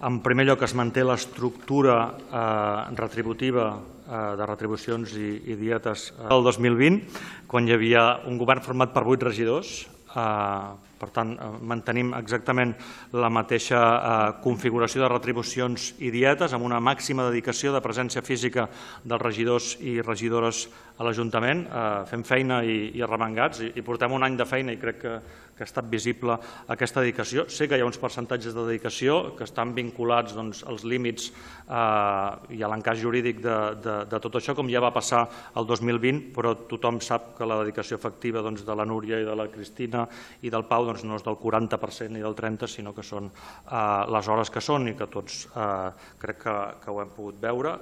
En primer lloc, es manté l'estructura retributiva de retribucions i dietes del 2020, quan hi havia un govern format per 8 regidors. Per tant, mantenim exactament la mateixa configuració de retribucions i dietes, amb una màxima dedicació de presència física dels regidors i regidores a l'Ajuntament. Fem feina i arremangats, i portem un any de feina i crec que ha estat visible aquesta dedicació. Sé que hi ha uns percentatges de dedicació que estan vinculats als límits i a l'encaix jurídic de tot això, com ja va passar el 2020, però tothom sap que la dedicació efectiva de la Núria i de la Cristina i del Pau no és del 40% ni del 30%, sinó que són les hores que són i que tots crec que ho hem pogut veure.